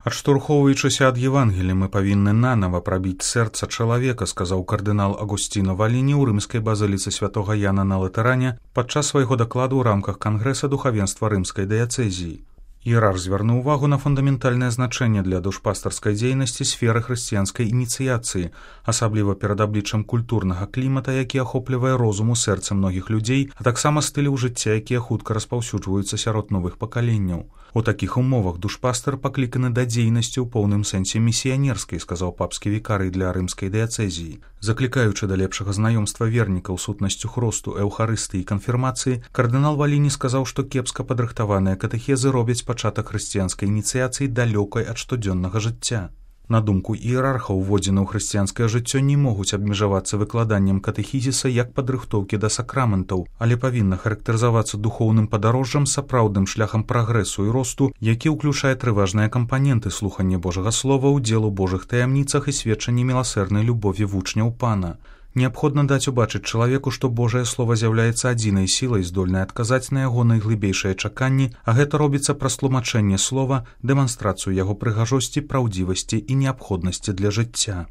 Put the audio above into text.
Адштурхоўваючыся ад Евангелія, мы павінны нанава прабіць сэрца чалавека, сказаў кардынал Агусціно Валіні ў рымскай базыліцы святога Яна на Латэране падчас свайго дакладу ў рамках кангрэса духавенства рымскай дыяцэзіі. Іерарх звярнуў увагу на фундаментальнае значэнне для душпастарскай дзейнасці сферы хрысціянскай ініцыяцыі, асабліва перад абліччам культурнага клімата, які ахоплівае розум у сэрцы многіх людзей, а таксама стыляў жыцця, якія хутка распаўсюджваюцца сярод новых пакаленняў. У такіх умовах душпастар пакліканы да дзейнасці ў поўным сэнсе місіянерскай, сказаў папскі вікарый для рымскай дыяцэзіі. Заклікаючы да лепшага знаёмства вернікаў сутнасцю хросту, эўхарыстыі і канфірмацыі, кардынал Валіні сказаў, што кепска падрыхтаваныя катэхезы робяць пачатак хрысціянскай ініцыяцыі далёкай ад штодзённага жыцця. На думку іерарха, уводзены ў хрысціянскае жыццё не могуць абмежавацца выкладаннем катэхізіса як падрыхтоўкі да сакраментаў, але павінна характарызавацца духоўным падарожжам, сапраўдным шляхам прагрэсу і росту, які ўключае трыважныя кампаненты слухання Божага слова, удзел у Божых таямніцах і сведчанне міласэрнай любові вучняў Пана. Неабходна даць убачыць чалавеку, што Божае Слова з'яўляецца адзінай сілай, здольнай адказаць на яго найглыбейшыя чаканні, а гэта робіцца праз тлумачэнне слова, дэманстрацыю яго прыгажосці, праўдзівасці і неабходнасці для жыцця.